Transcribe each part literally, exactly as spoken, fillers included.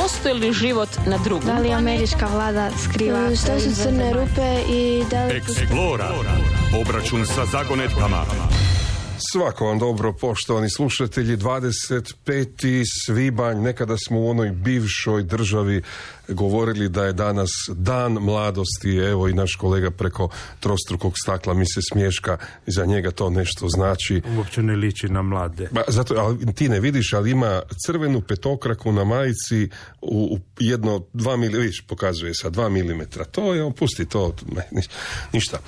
postoji li život na drugom? Da li američka vlada skriva? Što su crne rupe i da li... Explora. Obračun sa zagonetkama. Svako vam dobro, poštovani slušatelji. Dvadeset peti svibanj, nekada smo u onoj bivšoj državi govorili da je danas dan mladosti. Evo i naš kolega preko trostrukog stakla mi se smješka, za njega to nešto znači. Uopće ne liči na mlade. Ba, zato, ali ti ne vidiš, ali ima crvenu petokraku na majici u, u jedno, dva mili, vidiš, pokazuje sa dva milimetra. To je, pusti to, ne, ništa.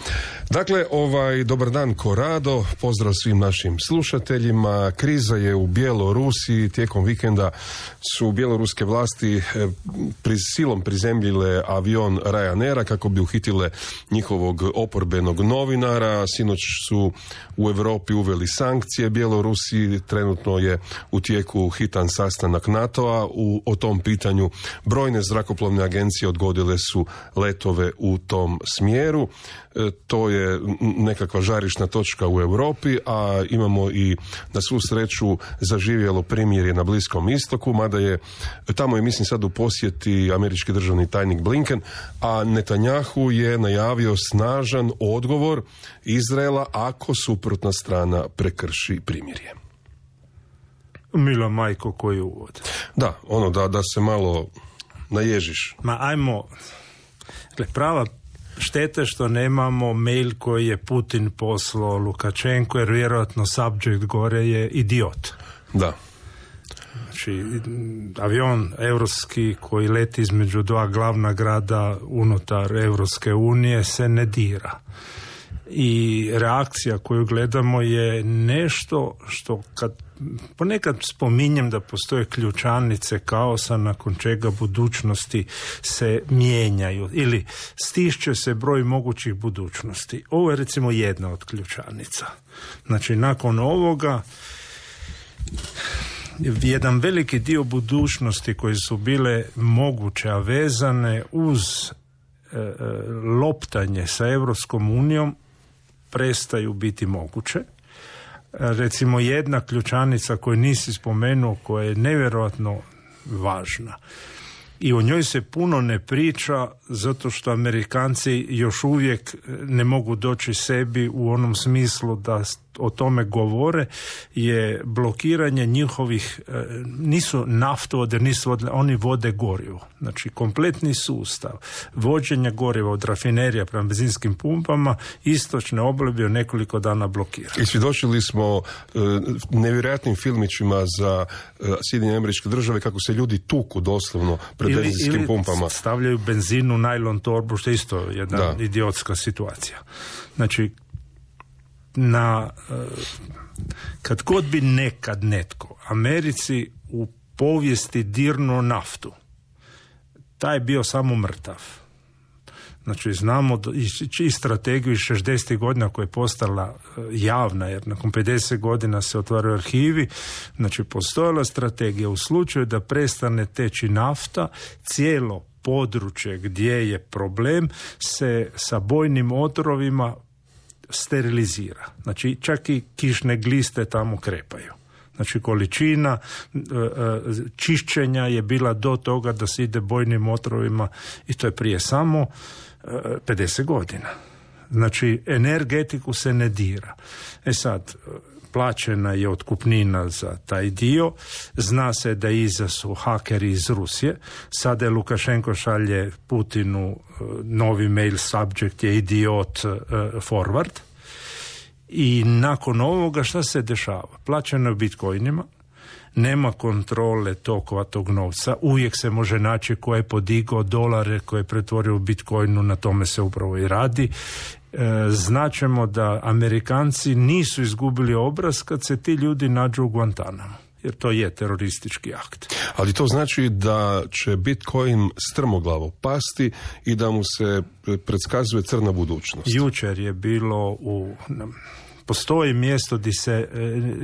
Dakle, ovaj, dobar dan Korado, pozdrav svim našim slušateljima. Kriza je u Bjelorusiji, tijekom vikenda su bjeloruske vlasti eh, pri silom prizemljile avion Ryanaira kako bi uhitile njihovog oporbenog novinara. Sinoć su u Europi uveli sankcije Bjelorusiji, trenutno je u tijeku hitan sastanak NATO-a u, o tom pitanju. Brojne zrakoplovne agencije odgodile su letove u tom smjeru. E, to je nekakva žarišna točka u Europi, a imamo i na svu sreću zaživjelo primirje na Bliskom istoku, mada je tamo je mislim sad u posjeti američki državni tajnik Blinken, a Netanjahu je najavio snažan odgovor Izraela ako suprotna strana prekrši primirje. Mila majko, koji uvod. Da, ono da, da se malo naježiš. Ma ajmo, dakle, prava štete što nemamo mail koji je Putin poslao Lukačenko, jer vjerojatno subject gore je idiot. Da. Znači, avion europski koji leti između dva glavna grada unutar Europske unije se ne dira. I reakcija koju gledamo je nešto što kad ponekad spominjem da postoje ključanice kaosa nakon čega budućnosti se mijenjaju ili stišće se broj mogućih budućnosti. Ovo je recimo jedna od ključanica. Znači, nakon ovoga jedan veliki dio budućnosti koje su bile moguće, a vezane uz e, loptanje sa Europskom unijom, prestaju biti moguće. Recimo jedna ključanica koju nisi spomenuo, koja je nevjerojatno važna i o njoj se puno ne priča zato što Amerikanci još uvijek ne mogu doći sebi u onom smislu da o tome govore, je blokiranje njihovih, nisu naftovode, nisu vode, oni vode gorivo. Znači, kompletni sustav vođenja goriva od rafinerija prema benzinskim pumpama istočne obale bio nekoliko dana blokiran. I svjedočili smo uh, nevjerojatnim filmićima za uh, Sjedinjene Američke Države kako se ljudi tuku doslovno pred ili, benzinskim ili pumpama. Stavljaju benzin u najlon torbu, što je isto jedna da. idiotska situacija. Znači, na, kad god bi nekad netko Americi u povijesti dirnuo naftu, taj je bio samo mrtav. Znači, znamo i strategiju iz šezdesetih godina koja je postala javna, jer nakon pedeset godina se otvaraju arhivi. Znači, postojala strategija u slučaju da prestane teći nafta, cijelo područje gdje je problem se sa bojnim otrovima sterilizira. Znači, čak i kišne gliste tamo krepaju. Znači, količina e, čišćenja je bila do toga da se ide bojnim otrovima i to je prije samo e, pedeset godina. Znači, energetiku se ne dira. E sad, plaćena je otkupnina za taj dio, zna se da iza su hakeri iz Rusije, sada je Lukašenko šalje Putinu novi mail, subject je idiot uh, forward, i nakon ovoga šta se dešava? Plaćeno je bitcoinima, nema kontrole tokova tog novca, uvijek se može naći ko je podigao dolare, ko je pretvorio u bitcoinu, na tome se upravo i radi. Značemo da Amerikanci nisu izgubili obraz kad se ti ljudi nađu u Guantanamo, jer to je teroristički akt. Ali to znači da će Bitcoin strmoglavo pasti i da mu se predskazuje crna budućnost. Jučer je bilo u... Postoji mjesto gdje se e,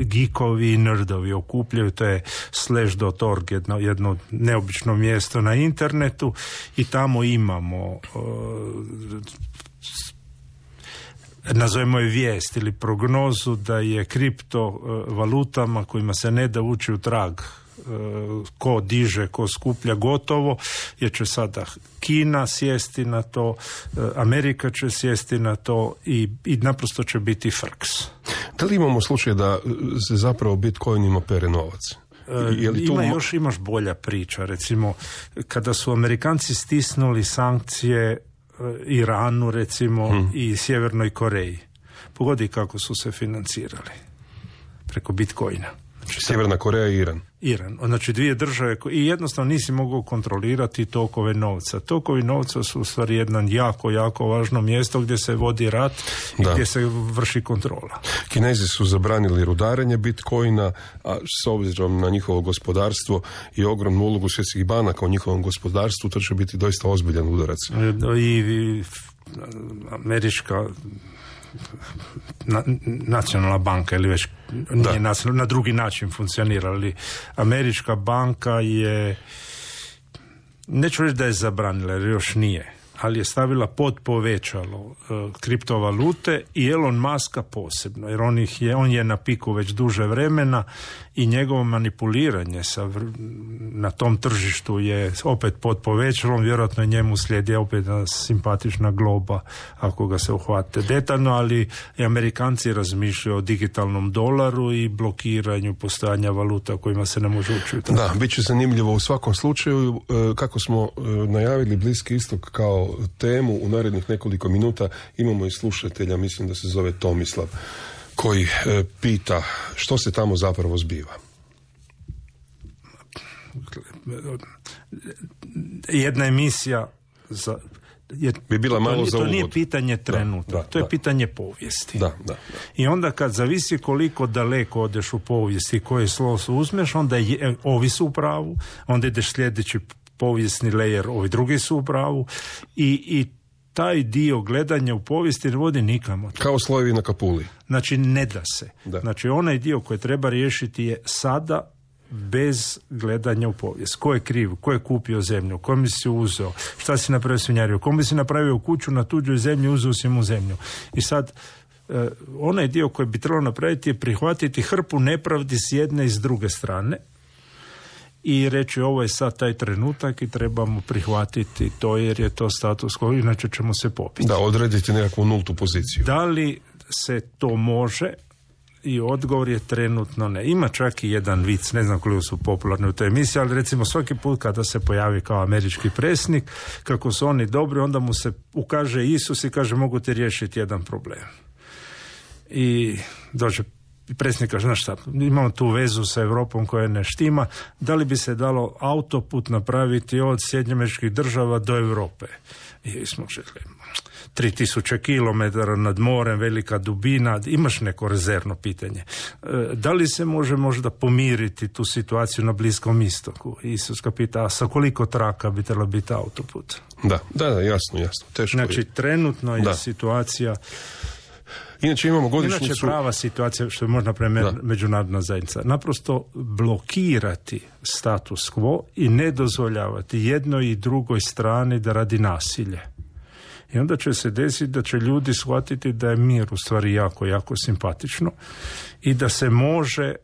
geekovi i nerdovi okupljaju, to je slash dot org, jedno, jedno neobično mjesto na internetu, i tamo imamo e, nazovemo je vijest ili prognozu da je kriptovalutama kojima se ne da ući u trag ko diže, ko skuplja gotovo, jer će sada Kina sjesti na to, Amerika će sjesti na to i, i naprosto će biti frks. Da li imamo slučaj da se zapravo Bitcoinima pere novac? Je li tu... Ima još imaš bolja priča, recimo kada su Amerikanci stisnuli sankcije Iranu recimo hmm. i Sjevernoj Koreji, pogodi kako su se financirali preko Bitcoina. Znači, Sjeverna Koreja i Iran. Iran, znači dvije države ko... i jednostavno nisi mogao kontrolirati tokove novca. Tokovi novca su u stvari jedan jako, jako važno mjesto gdje se vodi rat i da. Gdje se vrši kontrola. Kinezi su zabranili rudarenje Bitcoina, a s obzirom na njihovo gospodarstvo i ogromnu ulogu svjetskih banaka u njihovom gospodarstvu, to će biti doista ozbiljan udarac. I, i američka Na, nacionalna banka ili već nije nacionalna, na drugi način funkcionira, ali američka banka je, neću reći da je zabranila jer još nije, ali je stavila pod povećalo uh, kriptovalute i Elon Muska posebno, jer on, ih je, on je na piku već duže vremena i njegovo manipuliranje sa, na tom tržištu je opet pod povećalom, vjerojatno njemu slijedi opet simpatična globa ako ga se uhvate detaljno, ali i Amerikanci razmišljaju o digitalnom dolaru i blokiranju postojanja valuta kojima se ne može učiti. Da, bit će zanimljivo u svakom slučaju. Kako smo najavili Bliski istok kao temu, u narednih nekoliko minuta imamo i slušatelja, mislim da se zove Tomislav, koji e, pita što se tamo zapravo zbiva. Jedna emisija za, je, bi bila malo to, za to uvod. Nije pitanje trenutka, da, da, to je da. pitanje povijesti. Da, da, da. I onda kad zavisi koliko daleko odeš u povijesti i koje slovo su uzmeš, onda je, ovi su u pravu, onda ideš sljedeći povijesni lejer, ovi drugi su u pravu i, i taj dio gledanja u povijesti ne vodi nikamo. Kao slojevi na kapuli. Znači ne da se. Da. Znači onaj dio koji treba riješiti je sada bez gledanja u povijest. Ko je kriv, ko je kupio zemlju, kom si uzeo, šta si napravio svinjario, kom bi si napravio kuću na tuđoj zemlji, uzeo si mu zemlju. I sad eh, onaj dio koji bi trebalo napraviti je prihvatiti hrpu nepravdi s jedne i s druge strane i reći ovo je sad taj trenutak i trebamo prihvatiti to jer je to status quo, inače ćemo se popiti. Da, odrediti nekakvu nultu poziciju. Da li se to može? I odgovor je trenutno ne. Ima čak i jedan vic, ne znam koliko su popularni u toj emisiji, ali recimo svaki put kada se pojavi kao američki predsjednik, kako su oni dobri, onda mu se ukaže Isus i kaže mogu ti riješiti jedan problem. I dođe predsjednik kaže, znaš šta, imamo tu vezu sa Europom koja ne štima, da li bi se dalo autoput napraviti od Sjedinjenih Američkih Država do Europe? I smo rekli, tri tisuće kilometara nad morem, velika dubina, imaš neko rezervno pitanje. Da li se može možda pomiriti tu situaciju na Bliskom istoku? Isus ga pita, a sa koliko traka bi trebalo biti autoput? Da, da, da, jasno, jasno. Teško znači, je. trenutno je da. situacija... Inače imamo godišnjicu... Inače prava situacija, što je možda prema međunarodna zajednica, naprosto blokirati status quo i ne dozvoljavati jednoj i drugoj strani da radi nasilje. I onda će se desiti da će ljudi shvatiti da je mir u stvari jako, jako simpatično i da se može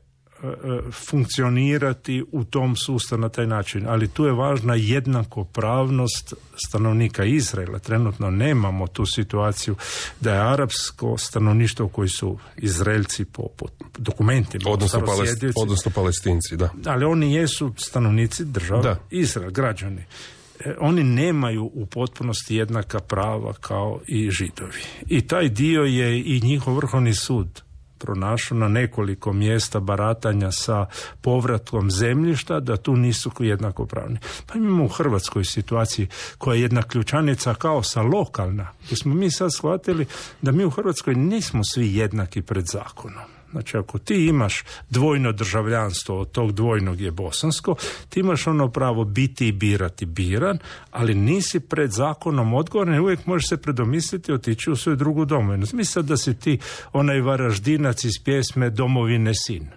funkcionirati u tom sustavu na taj način. Ali tu je važna jednakopravnost stanovnika Izraela. Trenutno nemamo tu situaciju da je arapsko stanovništvo koji su Izraelci po, po dokumentima. Odnosno, palest, odnosno Palestinci, da. Ali oni jesu stanovnici države da. Izrael, građani. E, oni nemaju u potpunosti jednaka prava kao i Židovi. I taj dio je i njihov vrhovni sud pronašao na nekoliko mjesta baratanja sa povratkom zemljišta, da tu nisu jednakopravni. Pa imamo u Hrvatskoj situaciji koja je jedna ključanica kaosa lokalna, gdje smo mi sad shvatili da mi u Hrvatskoj nismo svi jednaki pred zakonom. Znači, ako ti imaš dvojno državljanstvo, od tog dvojnog je bosansko, ti imaš ono pravo biti i birati biran, ali nisi pred zakonom odgovoran i uvijek možeš se predomisliti otići u svoju drugu domovinu. Misli da si ti onaj Varaždinac iz pjesme Domovine sin.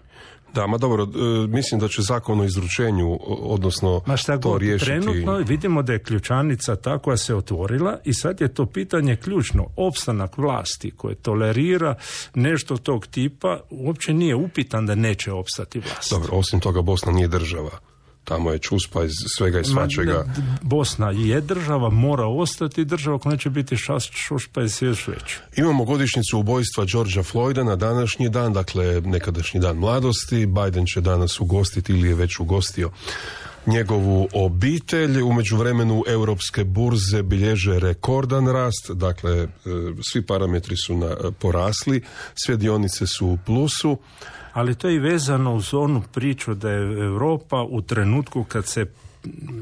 Da, ma dobro, mislim da će zakon o izručenju, odnosno Ma šta to god, riješiti. Trenutno vidimo da je ključanica ta koja se otvorila i sad je to pitanje ključno. Opstanak vlasti koje tolerira nešto tog tipa uopće nije upitan da neće opstati vlast. Dobro, osim toga Bosna nije država. Tamo je čuspa iz svega i svačega. Ma, Bosna je država, mora ostati država, ako neće biti šast, šušpa i još već. Imamo godišnjicu ubojstva Georgea Floyda na današnji dan, dakle nekadašnji dan mladosti. Biden će danas ugostiti ili je već ugostio njegovu obitelj. U međuvremenu europske burze bilježe rekordan rast, dakle svi parametri su na, porasli, sve dionice su u plusu. Ali to je i vezano uz onu priču da je Europa u trenutku kad se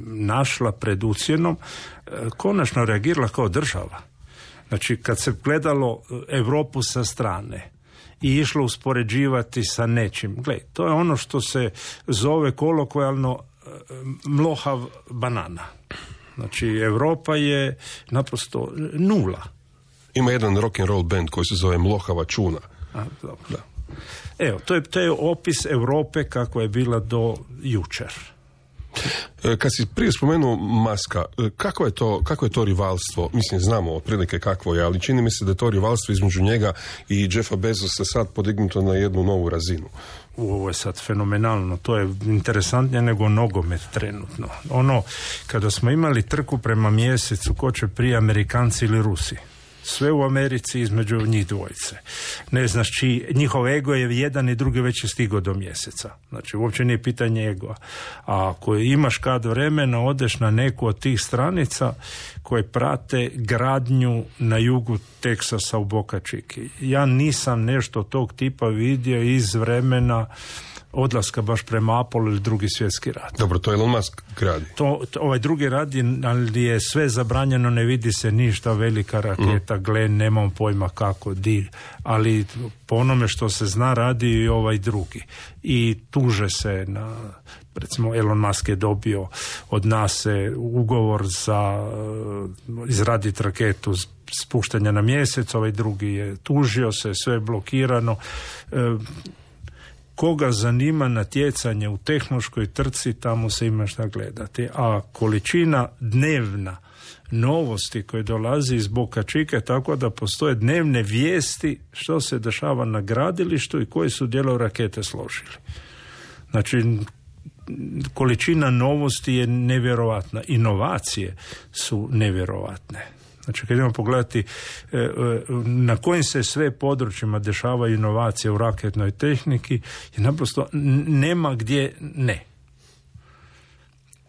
našla pred ucjenom konačno reagirala kao država. Znači kad se gledalo Europu sa strane i išlo uspoređivati sa nečim. Gle, to je ono što se zove kolokvijalno mlohav banana. Znači Europa je naprosto nula. Ima jedan rock and roll band koji se zove Mlohava čuna. A, dobro. Da. Evo, to je, to je opis Europe kako je bila do jučer. Kad si prije spomenuo Muska, kako je to, kako je to rivalstvo? Mislim, znamo otprilike kakvo je, ali čini mi se da je to rivalstvo između njega i Jeffa Bezosa sad podignuto na jednu novu razinu. Ovo je sad fenomenalno, to je interesantnije nego nogomet trenutno. Ono, kada smo imali trku prema mjesecu, ko će prije, Amerikanci ili Rusi? Sve u Americi između njih dvojice. Ne znaš čiji, njihov ego je jedan i drugi već je stigao do mjeseca. Znači, uopće nije pitanje ego. A ako imaš kad vremena, odeš na neku od tih stranica koje prate gradnju na jugu Teksasa u Boca Chiki. Ja nisam nešto tog tipa vidio iz vremena odlaska baš prema Apollo ili drugi svjetski rat. Dobro, to Elon Musk gradi. To, to, ovaj drugi radi, ali je sve zabranjeno, ne vidi se ništa, velika raketa, mm. gle, nemam pojma kako, di, ali po onome što se zna radi i ovaj drugi. I tuže se na, recimo Elon Musk je dobio od NASA ugovor za uh, izraditi raketu spuštanja na mjesec, ovaj drugi je tužio se, sve je blokirano. Uh, Koga zanima natjecanje u tehnološkoj trci, tamo se ima šta gledati. A količina dnevna novosti koje dolazi iz Boca Chica, tako da postoje dnevne vijesti što se dešava na gradilištu i koji su dijelove rakete složili. Znači, količina novosti je nevjerovatna. Inovacije su nevjerovatne. Znači, kad idemo pogledati na kojim se sve područjima dešavaju inovacije u raketnoj tehniki, je naprosto nema gdje ne.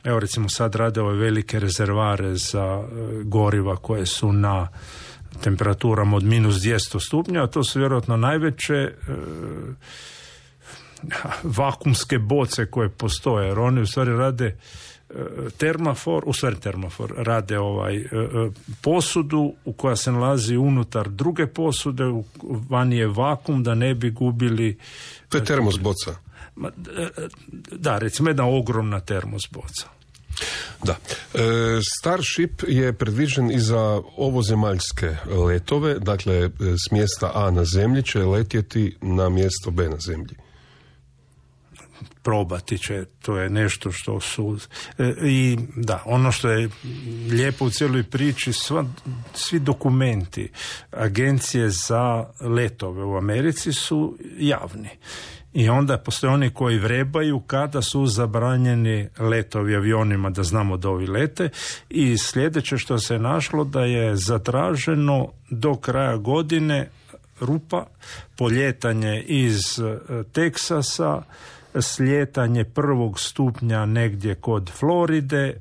Evo, recimo, sad rade ove velike rezervare za goriva koje su na temperaturama od minus dvjesto stupnja, a to su vjerojatno najveće e, vakumske boce koje postoje, jer oni u stvari rade termofor, u stvari termofor, rade ovaj posudu u koja se nalazi unutar druge posude, vani je vakum da ne bi gubili. To je termos boca. Da, recimo jedna ogromna termos boca. Da. E, Starship je predviđen i za ovozemaljske letove, dakle s mjesta A na zemlji će letjeti na mjesto B na zemlji. Probati će, to je nešto što su e, i da, ono što je lijepo u cijeloj priči, sva, svi dokumenti agencije za letove u Americi su javni. I onda postoje oni koji vrebaju kada su zabranjeni letovi avionima, da znamo da ovi lete, i sljedeće što se našlo da je zatraženo do kraja godine rupa, poljetanje iz Teksasa, slijetanje prvog stupnja negdje kod Floride,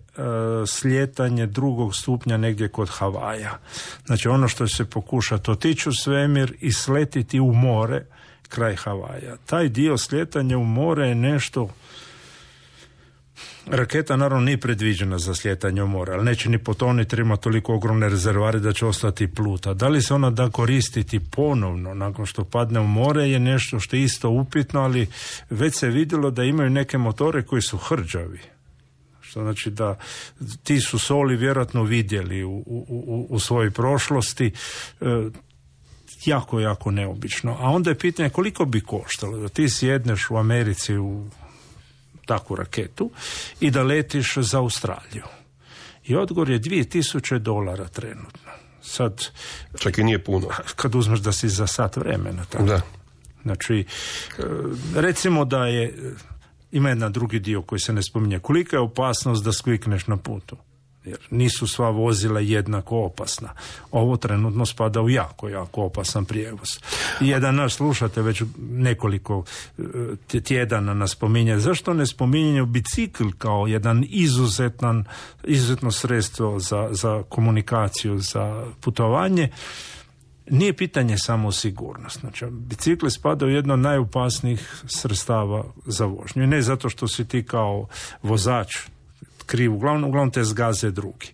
slijetanje drugog stupnja negdje kod Havaja. Znači ono što će se pokušati otići u svemir i sletiti u more kraj Havaja. Taj dio slijetanja u more je nešto. Raketa naravno nije predviđena za slijetanje u more, ali neće ni potoniti jer ima toliko ogromne rezervari da će ostati pluta. Da li se ona da koristiti ponovno nakon što padne u more je nešto što je isto upitno, ali već se vidjelo da imaju neke motore koji su hrđavi. Što znači da ti su soli vjerojatno vidjeli u, u, u, u svojoj prošlosti. E, jako, jako neobično. A onda je pitanje koliko bi koštalo da ti sjedneš u Americi u takvu raketu i da letiš za Australiju. I odgovor je dvije tisuće dolara trenutno. Sad, čak i nije puno. Kad uzmeš da si za sat vremena. Tako. Da. Znači, recimo da je, ima jedan drugi dio koji se ne spominje. Kolika je opasnost da sklikneš na putu? Jer nisu sva vozila jednako opasna. Ovo trenutno spada u jako, jako opasan prijevoz. I jedan naš slušatelj već nekoliko tjedana nas spominje. Zašto ne spominje bicikl kao jedan izuzetan, izuzetno sredstvo za, za komunikaciju, za putovanje? Nije pitanje samo sigurnost. Znači, bicikli spadaju u jedno od najopasnijih sredstava za vožnju. I ne zato što si ti kao vozač kriv, uglavnom, uglavnom te zgaze drugi.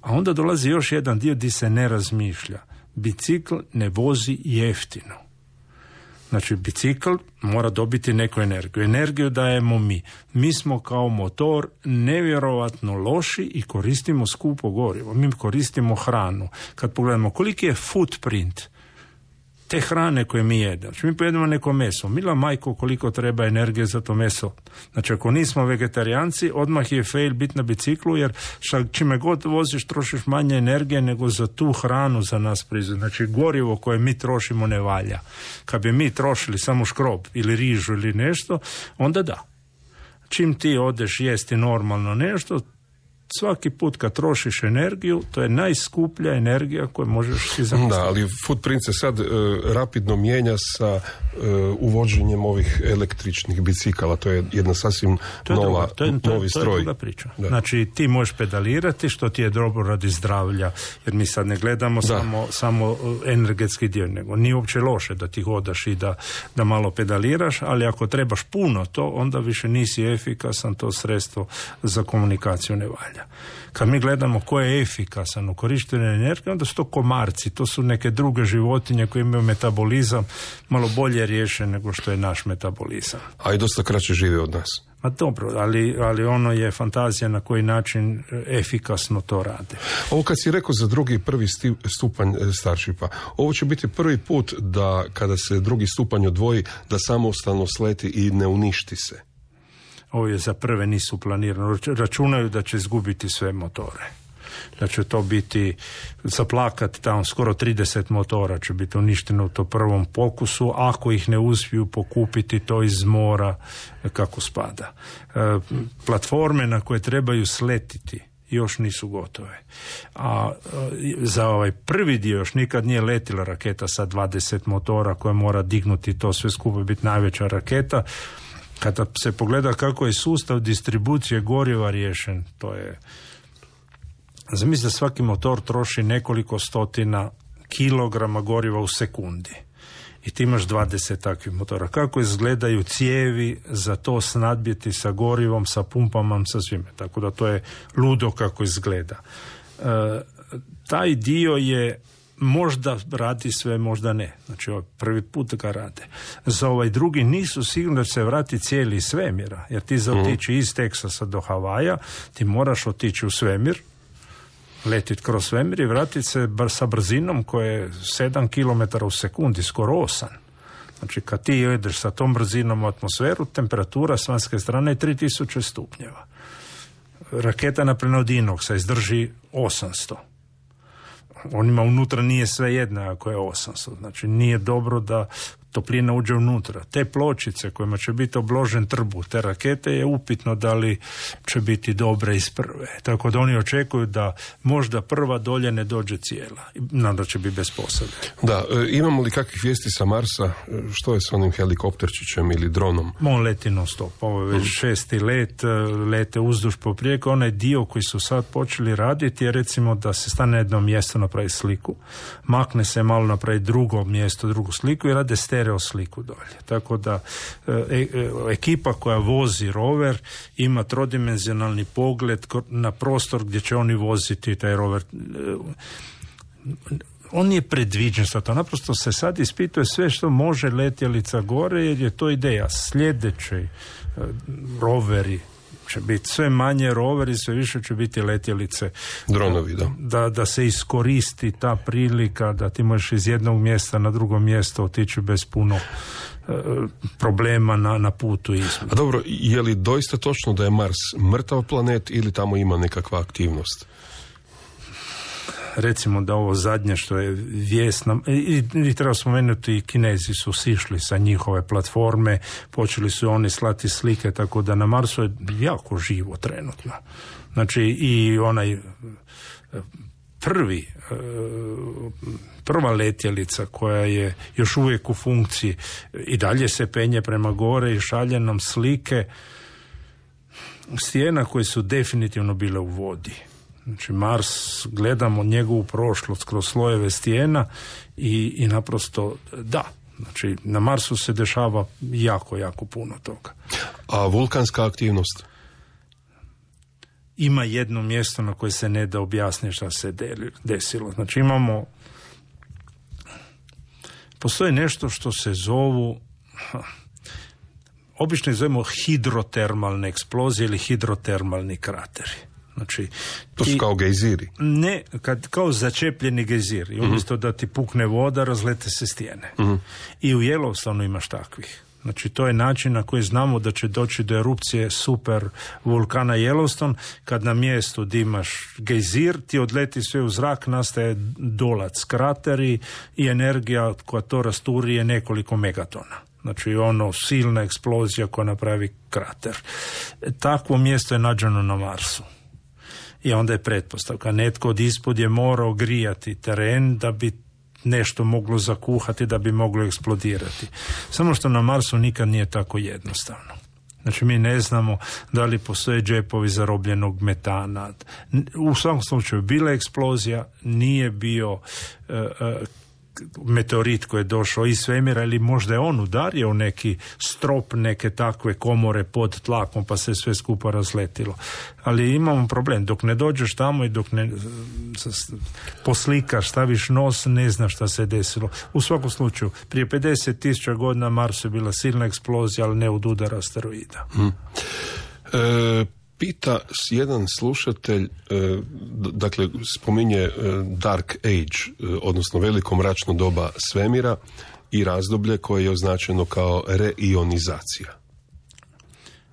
A onda dolazi još jedan dio gdje se ne razmišlja. Bicikl ne vozi jeftino. Znači, bicikl mora dobiti neku energiju. Energiju dajemo mi. Mi smo kao motor nevjerovatno loši i koristimo skupo gorivo. Mi koristimo hranu. Kad pogledamo koliki je footprint te hrane koje mi jedemo. Znači, mi pojedemo neko meso. Mila majko, koliko treba energije za to meso. Znači, ako nismo vegetarijanci, odmah je fail biti na biciklu, jer čime god voziš, trošiš manje energije nego za tu hranu za nas proizvod. Znači, gorivo koje mi trošimo ne valja. Kad bi mi trošili samo škrob ili rižu ili nešto, onda da. Čim ti odeš jesti normalno nešto, svaki put kad trošiš energiju, to je najskuplja energija koju možeš si zamisliti. Da, ali footprint se sad uh, rapidno mijenja sa uh, uvođenjem ovih električnih bicikala. To je jedna sasvim to je nova, druga, to je, to novi je, stroj. To je druga priča. Da. Znači, ti možeš pedalirati, što ti je dobro radi zdravlja, jer mi sad ne gledamo samo, samo energetski dio, nego nije uopće loše da ti hodaš i da, da malo pedaliraš, ali ako trebaš puno to, onda više nisi efikasan, to sredstvo za komunikaciju ne valja. Kad mi gledamo ko je efikasan u korištenju energije, onda su to komarci, to su neke druge životinje koje imaju metabolizam malo bolje riješen nego što je naš metabolizam. A i dosta kraće žive od nas. Ma dobro, ali, ali ono je fantazija na koji način efikasno to rade. Ovo kad si rekao za drugi i prvi stupanj Starshipa, ovo će biti prvi put da kada se drugi stupanj odvoji, da samostalno sleti i ne uništi se. Ovo je za prve nisu planirano. Računaju da će izgubiti sve motore. Da će to biti zaplakat, tamo skoro trideset motora će biti uništeno u to prvom pokusu, ako ih ne uspiju pokupiti to iz mora kako spada. E, platforme na koje trebaju sletiti još nisu gotove. A za ovaj prvi dio još nikad nije letila raketa sa dvadeset motora koja mora dignuti to sve skupo i biti najveća raketa. Kada se pogleda kako je sustav distribucije goriva riješen, to je... Zamisli da svaki motor troši nekoliko stotina kilograma goriva u sekundi. I ti imaš dvadeset takvih motora. Kako izgledaju cijevi za to snadbiti sa gorivom, sa pumpama, sa svime. Tako da to je ludo kako izgleda. E, taj dio je možda radi sve, možda ne. Znači, ovaj prvi put ga rade. Za ovaj drugi nisu sigurno da će se vrati cijeli svemira, jer ti za otići iz Teksasa do Havaja, ti moraš otići u svemir, letiti kroz svemir i vratiti se sa brzinom koja je sedam kilometara u sekundi, skoro osam. Znači, kad ti jedeš sa tom brzinom u atmosferu, temperatura s vanjske strane je tri tisuće stupnjeva. Raketa na plenodinoksa izdrži osamsto. Onima unutra nije sve jedno ako je osamsto. Znači, nije dobro da toplina uđe unutra. Te pločice kojima će biti obložen trbuh te rakete je upitno da li će biti dobre iz prve. Tako da oni očekuju da možda prva dolje ne dođe cijela. Nadam će biti bez posade. Da, e, imamo li kakvih vijesti sa Marsa? Što je s onim helikopterčićem ili dronom? On leti non stop. Ovo je već šesti let, lete uzduž poprijeko. Onaj dio koji su sad počeli raditi je recimo da se stane na jedno mjesto, napravi sliku, makne se malo, napravi drugo mjesto, drugu sliku i rade stereo sliku dolje. Tako da e, e, ekipa koja vozi rover ima trodimenzionalni pogled na prostor gdje će oni voziti taj rover. E, on je predviđen sa to. Naprosto se sad ispituje sve što može letjelica gore, jer je to ideja. Sljedeći e, roveri će biti sve manje roveri, sve više će biti letjelice. Dronovi, da. Da, da se iskoristi ta prilika da ti možeš iz jednog mjesta na drugo mjesto otići bez puno e, problema na, na putu između. A dobro, je li doista točno da je Mars mrtav planet ili tamo ima nekakva aktivnost? Recimo da ovo zadnje što je vijest nam, i, i treba spomenuti, i Kinezi su sišli sa njihove platforme, počeli su oni slati slike, tako da na Marsu je jako živo trenutno. Znači i onaj prvi prva letjelica koja je još uvijek u funkciji i dalje se penje prema gore i šalje nam slike stijena koje su definitivno bile u vodi. Znači Mars, gledamo njegovu prošlost kroz slojeve stijena i, i naprosto da, znači na Marsu se dešava jako, jako puno toga. A vulkanska aktivnost? Ima jedno mjesto na koje se ne da objasniti šta se desilo. Znači imamo, postoji nešto što se zovu, obično ih zovemo hidrotermalne eksplozije ili hidrotermalni krateri. Znači, to su i, kao gejziri? Ne, kad, kao začepljeni gejzir. I umjesto uh-huh. da ti pukne voda, razlete se stijene. Uh-huh. I u Yellowstoneu imaš takvih. Znači, to je način na koji znamo da će doći do erupcije super vulkana Yellowstone, kad na mjestu gdje imaš gejzir, ti odleti sve u zrak, nastaje dolac, krateri i energija koja to rasturi je nekoliko megatona. Znači, ono, silna eksplozija koja napravi krater. Takvo mjesto je nađeno na Marsu. I onda je pretpostavka. Netko od ispod je morao grijati teren da bi nešto moglo zakuhati, da bi moglo eksplodirati. Samo što na Marsu nikad nije tako jednostavno. Znači mi ne znamo da li postoje džepovi zarobljenog metana. U svakom slučaju bila je eksplozija, nije bio uh, uh, meteorit koji je došao iz svemira ili možda je on udario u neki strop neke takve komore pod tlakom pa se sve skupa razletilo. Ali imamo problem, dok ne dođeš tamo i dok ne poslikaš, staviš nos, ne znaš šta se desilo. U svakom slučaju, prije pedeset tisuća godina Marsu je bila silna eksplozija, ali ne od udara asteroida. Hmm. E, pita jedan slušatelj, e, dakle spominje e, Dark Age, e, odnosno veliko mračno doba svemira i razdoblje koje je označeno kao reionizacija.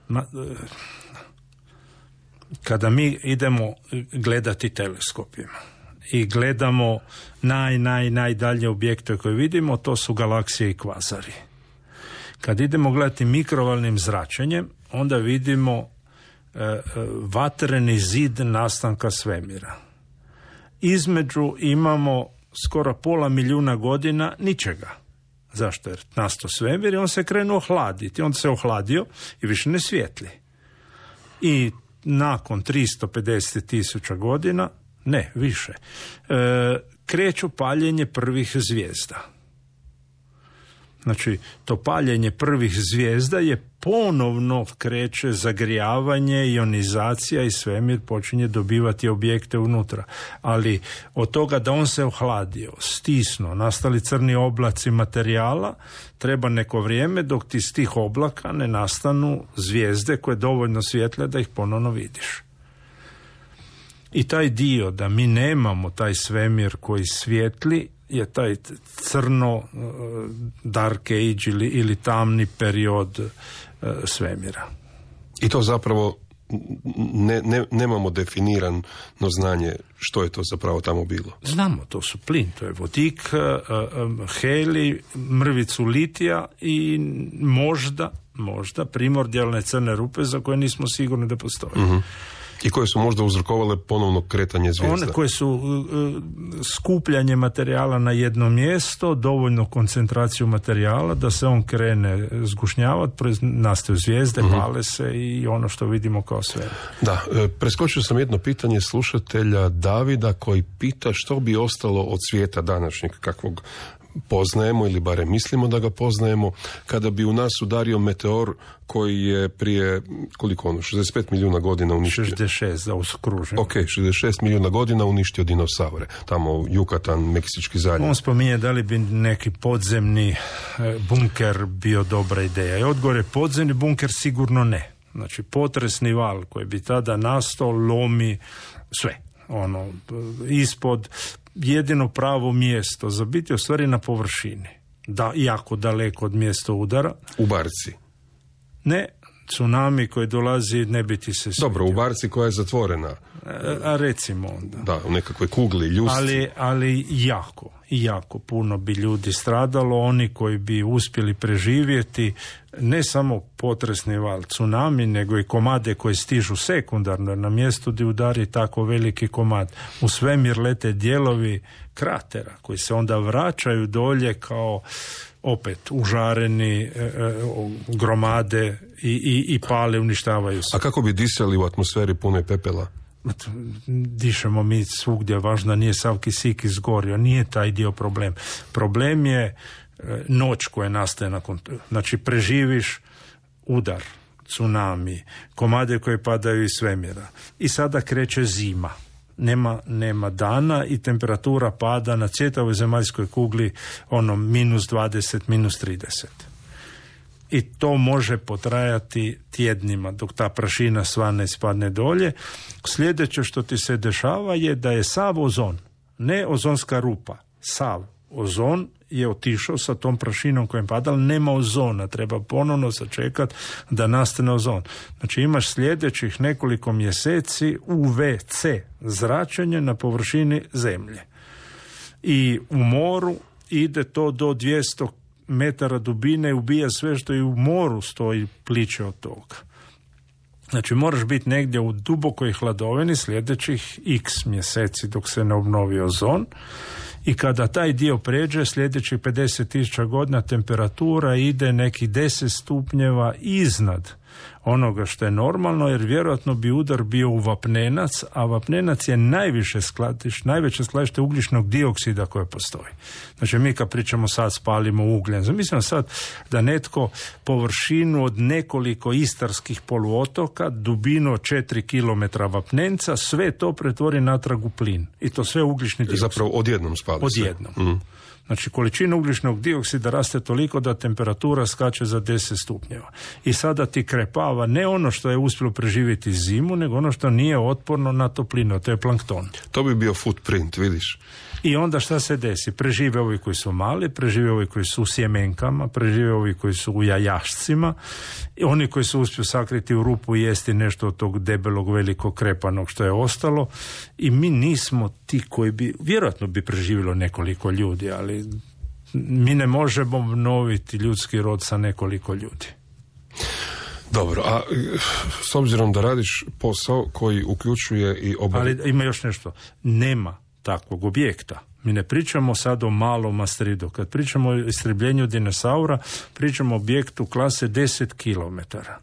Ma, e, kada mi idemo gledati teleskopima i gledamo naj, naj, najdalje objekte koje vidimo, to su galaksije i kvazari. Kad idemo gledati mikrovalnim zračenjem, onda vidimo e, vatreni zid nastanka svemira. Između imamo skoro pola milijuna godina ničega. Zašto? Jer nastao svemir i on se krenuo hladiti. On se ohladio i više ne svijetli. I nakon tristo pedeset tisuća godina, ne, više, e, kreću paljenje prvih zvijezda. Znači, to paljenje prvih zvijezda je ponovno kreće zagrijavanje, ionizacija i svemir počinje dobivati objekte unutra. Ali od toga da on se ohladio, stisnuo, nastali crni oblaci materijala, treba neko vrijeme dok ti iz tih oblaka ne nastanu zvijezde koje dovoljno svijetle da ih ponovno vidiš. I taj dio da mi nemamo taj svemir koji svijetli je taj crno uh, dark age ili, ili tamni period uh, svemira. I to zapravo ne, ne, nemamo definirano znanje što je to zapravo tamo bilo. Znamo, to su plin, to je vodik, uh, um, heli, mrvicu litija i možda, možda primordijalne crne rupe za koje nismo sigurni da postoje. Uh-huh. I koje su možda uzrokovale ponovno kretanje zvijezda. One koje su uh, skupljanje materijala na jedno mjesto, dovoljno koncentraciju materijala da se on krene zgušnjavati, nastaju zvijezde, uh-huh. pale se i ono što vidimo kao sve. Da, preskočio sam jedno pitanje slušatelja Davida koji pita što bi ostalo od svijeta današnjeg, kakvog poznajemo ili barem mislimo da ga poznajemo, kada bi u nas udario meteor koji je prije, koliko ono, šezdeset pet milijuna godina uništio. šezdeset šest da uskružim. Ok, šezdeset šest milijuna godina uništio dinosaure. Tamo Jukatan, Meksički zaljev. On spominje da li bi neki podzemni bunker bio dobra ideja. I odgovor je podzemni bunker sigurno ne. Znači potresni val koji bi tada nastao lomi sve. Ono, ispod, jedino pravo mjesto za biti u stvari na površini. Da, jako daleko od mjesta udara. U barci? Ne, tsunami koji dolazi ne bi ti se svidio. Dobro, u barci koja je zatvorena. A, a recimo onda. Da, u nekakvoj kugli, ljusci. Ali, ali jako, jako puno bi ljudi stradalo, oni koji bi uspjeli preživjeti ne samo potresni val, tsunami, nego i komade koje stižu sekundarno na mjestu gdje udari tako veliki komad. U svemir lete dijelovi kratera koji se onda vraćaju dolje kao opet užareni e, e, gromade i, i, i pale, uništavaju se. A kako bi disali u atmosferi pune pepela? Dišemo mi svugdje, važno nije sav kisik izgorio, nije taj dio problem. Problem je e, noć koja nastaje nakon, znači preživiš udar, tsunami, komade koje padaju iz svemira i sada kreće zima. Nema, nema dana i temperatura pada na cijeloj zemaljskoj kugli ono minus dvadeset, minus trideset. I to može potrajati tjednima dok ta prašina sva ne spadne dolje. Sljedeće što ti se dešava je da je sav ozon, ne ozonska rupa, sav ozon je otišao sa tom prašinom kojem pada, ali nema ozona, treba ponovno sačekati da nastane ozon. Znači imaš sljedećih nekoliko mjeseci U V C zračenje na površini zemlje. I u moru ide to do dvjesto metara dubine i ubija sve što i u moru stoji pliće od toga. Znači moraš biti negdje u dubokoj hladovini sljedećih x mjeseci dok se ne obnovi ozon. I kada taj dio pređe, sljedećih pedeset tisuća godina temperatura ide nekih deset stupnjeva iznad onoga što je normalno, jer vjerojatno bi udar bio u vapnenac, a vapnenac je najviše skladište, najveće skladište ugljičnog dioksida koje postoji. Znači mi kad pričamo sad spalimo ugljen, zamislimo sad da netko površinu od nekoliko istarskih poluotoka, dubinu od četiri kilometra vapnenca, sve to pretvori natrag u plin. I to sve ugljični dioksid. Zapravo odjednom spali se. Odjednom. Mm. Znači, količina ugljičnog dioksida raste toliko da temperatura skače za deset stupnjeva. I sada ti krepava ne ono što je uspjelo preživjeti zimu, nego ono što nije otporno na toplinu, to je plankton. To bi bio footprint, vidiš. I onda šta se desi? Prežive ovi koji su mali, prežive ovi koji su u sjemenkama, prežive ovi koji su u jajašcima, i oni koji su uspiju sakriti u rupu i jesti nešto od tog debelog, velikog krepanog što je ostalo. I mi nismo ti koji bi, vjerojatno bi preživjelo nekoliko ljudi, ali mi ne možemo obnoviti ljudski rod sa nekoliko ljudi. Dobro, a s obzirom da radiš posao koji uključuje i obav... Ali ima još nešto. Nema takvog objekta. Mi ne pričamo sad o malom asteroidu. Kad pričamo o istrebljenju dinosaura, pričamo o objektu klase deset kilometara.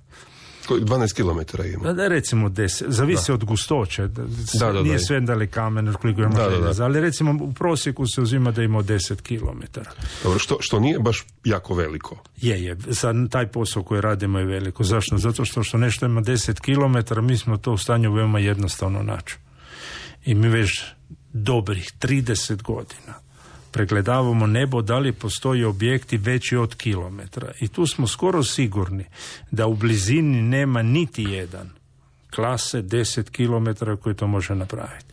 dvanaest kilometara ima. Da, recimo deset, zavisi da. Od gustoće. Da, da, da, nije da. sve da li kamen, koliko ima da, željeza, da, da. ali recimo u prosjeku se uzima da ima deset kilometara. Dobro, što, što nije baš jako veliko. Je, je. Sad taj posao koji radimo je veliko. Zašto? Zato što, što nešto ima deset kilometara, mi smo to u stanju veoma jednostavno naći. I mi već dobrih trideset godina pregledavamo nebo da li postoji objekti veći od kilometra. I tu smo skoro sigurni da u blizini nema niti jedan klase deset kilometara koji to može napraviti.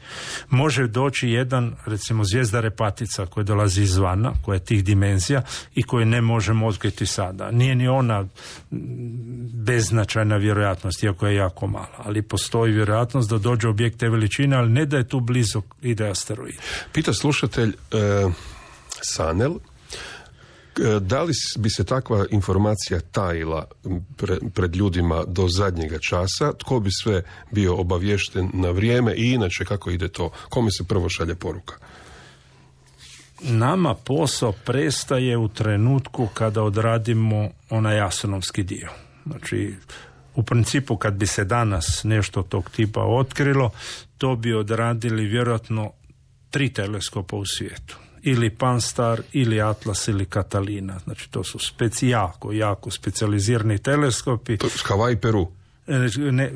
Može doći jedan, recimo zvijezda Repatica koja dolazi izvana, koja je tih dimenzija i koju ne možemo otkriti sada. Nije ni ona beznačajna vjerojatnost, iako je jako mala, ali postoji vjerojatnost da dođe objekt te veličine, ali ne da je tu blizu ide asteroid. Pita slušatelj e, Sanel, da li bi se takva informacija tajila pre, pred ljudima do zadnjega časa, tko bi sve bio obaviješten na vrijeme i inače kako ide to, kome se prvo šalje poruka? Nama posao prestaje u trenutku kada odradimo onaj astronomski dio. Znači, u principu kad bi se danas nešto tog tipa otkrilo, to bi odradili vjerojatno tri teleskopa u svijetu. Ili Pan-STARRS, ili Atlas, ili Catalina. Znači, to su speci, jako, jako specijalizirani teleskopi. To je Hawaii, Peru? Ne, ne,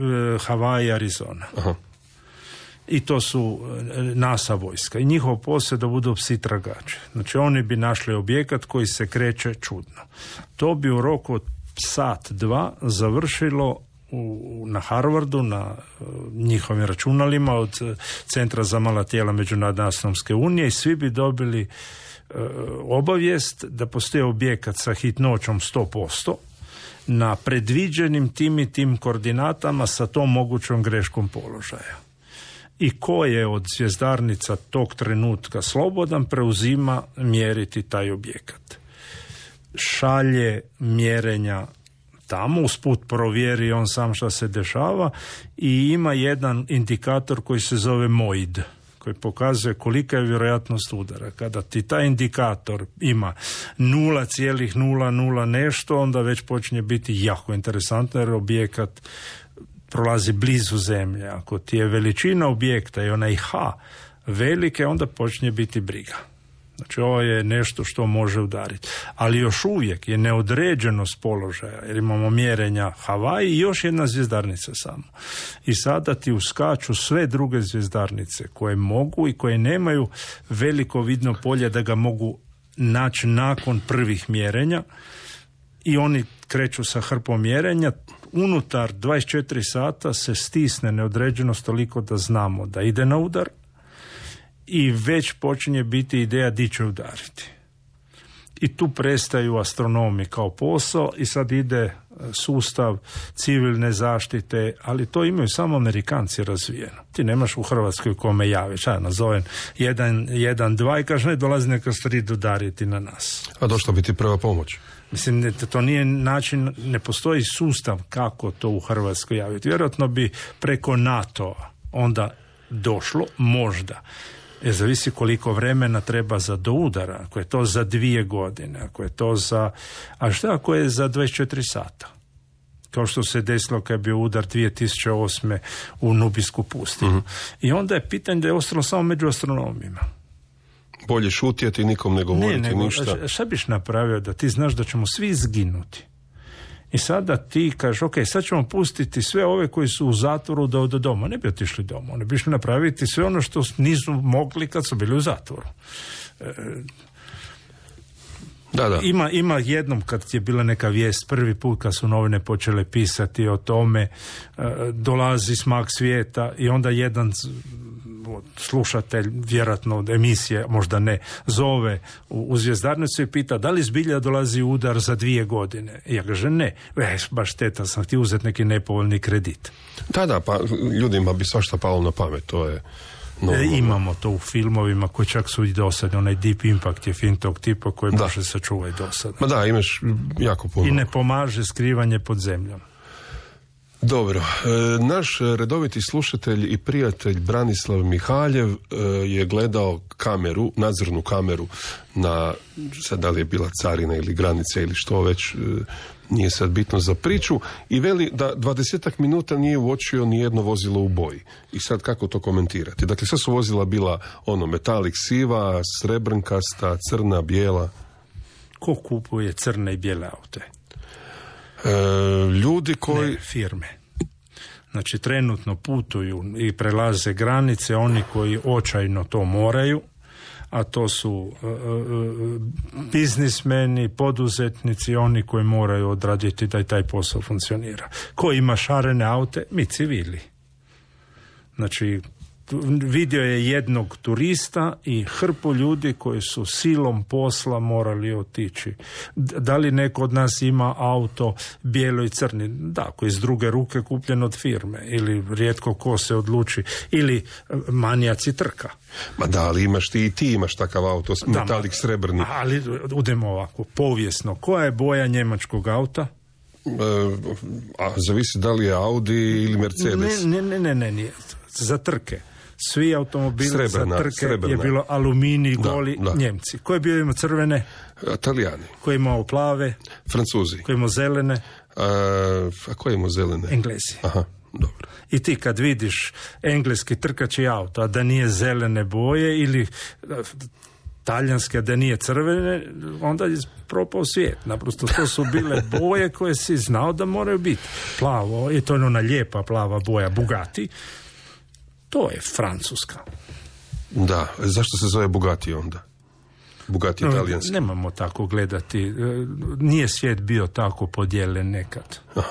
Hawaii, Arizona. Aha. I to su NASA vojska. I njihov posao da budu psi tragači. Znači, oni bi našli objekat koji se kreće čudno. To bi u roku od sat, dva završilo u, na Harvardu, na uh, njihovim računalima od uh, Centra za mala tijela Međunarodne astronomske unije i svi bi dobili uh, obavijest da postoji objekat sa hitnoćom sto posto na predviđenim tim i tim koordinatama sa tom mogućom greškom položaja. I ko je od zvjezdarnica tog trenutka slobodan preuzima mjeriti taj objekat. Šalje mjerenja tamo, usput provjeri on sam šta se dešava i ima jedan indikator koji se zove MOID, koji pokazuje kolika je vjerojatnost udara. Kada ti taj indikator ima nula zarez nula nula nešto, onda već počinje biti jako interesantno jer objekat prolazi blizu zemlje. Ako ti je veličina objekta i onaj H velike, onda počinje biti briga. Znači ovo je nešto što može udariti. Ali još uvijek je neodređenost položaja, jer imamo mjerenja Havaji i još jedna zvjezdarnica samo. I sada ti uskaču sve druge zvjezdarnice koje mogu i koje nemaju veliko vidno polje da ga mogu naći nakon prvih mjerenja i oni kreću sa hrpom mjerenja. Unutar dvadeset četiri sata se stisne neodređenost toliko da znamo da ide na udar i već počinje biti ideja di će udariti. I tu prestaju astronomi kao posao i sad ide sustav civilne zaštite, ali to imaju samo Amerikanci razvijeno. Ti nemaš u Hrvatskoj kome javiš, ja nazovem jedan, jedan, dva i kaže ne dolazi neka strid udariti na nas. A došla bi ti prva pomoć? Mislim, to nije način, ne postoji sustav kako to u Hrvatskoj javiti. Vjerojatno bi preko NATO-a onda došlo, možda. Jer zavisi koliko vremena treba za do udara, ako je to za dvije godine, ako je to za... A šta ako je za dvadeset četiri sata? Kao što se desilo kad je bio udar dvije tisuće osme u Nubijsku pustinju. Mm-hmm. I onda je pitanje da je ostalo samo među astronomima. Bolje šutjeti, nikom ne govoriti ne, nego, ništa. Šta biš napravio da ti znaš da ćemo svi izginuti? I sada ti kažeš, ok, sad ćemo pustiti sve ove koji su u zatvoru do, do doma. Ne bi otišli doma, oni bi išli napraviti sve ono što nisu mogli kad su bili u zatvoru. E, da, da. Ima, ima jednom kad je bila neka vijest, prvi put kad su novine počele pisati o tome, e, dolazi smak svijeta i onda jedan slušatelj, vjerojatno od emisije, možda ne, zove u, u zvjezdarnicu i pita da li zbilja dolazi udar za dvije godine. I ja kaže ne, e, baš šteta, sam htio uzeti neki nepovoljni kredit. Da, da, pa ljudima bi svašta palo na pamet, to je... No, e, imamo to u filmovima koji čak su i dosadni, onaj Deep Impact je film tog tipa koji da. može sačuvati dosadno. Ma da, imaš jako puno. I ne pomaže skrivanje pod zemljom. Dobro, naš redoviti slušatelj i prijatelj Branislav Mihaljev je gledao kameru, nadzornu kameru na, sad da li je bila carina ili granica ili što već, nije sad bitno za priču, i veli da dvadesetak minuta nije uočio ni jedno vozilo u boji. I sad kako to komentirati? Dakle, sve su vozila bila ono metalik siva, srebrnkasta, crna, bijela. Ko kupuje crne i bijele aute? E, ljudi koji... Ne, firme. Znači, trenutno putuju i prelaze granice oni koji očajno to moraju, a to su uh, uh, biznismeni, poduzetnici, oni koji moraju odraditi da i taj posao funkcionira. Ko ima šarene aute? Mi civili. Znači, vidio je jednog turista i hrpu ljudi koji su silom posla morali otići. Da li neko od nas ima auto bijelo i crni? Da, koji iz druge ruke kupljen od firme, ili rijetko ko se odluči, ili manijaci trka. Ma da, ali imaš ti i ti imaš takav auto, metalik srebrni. Ali udemo ovako, povijesno, koja je boja njemačkog auta? E, a zavisi da li je Audi ili Mercedes. Ne, ne, ne, ne, ne, za trke. Svi automobili srebrna, za trke srebrna. Je bilo aluminij, goli, da, da. Njemci. Ko je bio imao crvene? Italijani. Ko je imao plave? Francuzi. Ko je imao zelene? A, a ko je imao zelene? Englezi. Aha, dobro. I ti kad vidiš engleski trkači auto, a da nije zelene boje, ili talijanske, da nije crvene, onda je propao svijet. Naprosto to su bile boje koje si znao da moraju biti. Plavo, i to je ona lijepa plava boja Bugatti. To je Francuska. Da, zašto se zove Bugatti onda? Bugatti italijanski. Nemamo tako gledati. Nije svijet bio tako podijeljen nekad. E,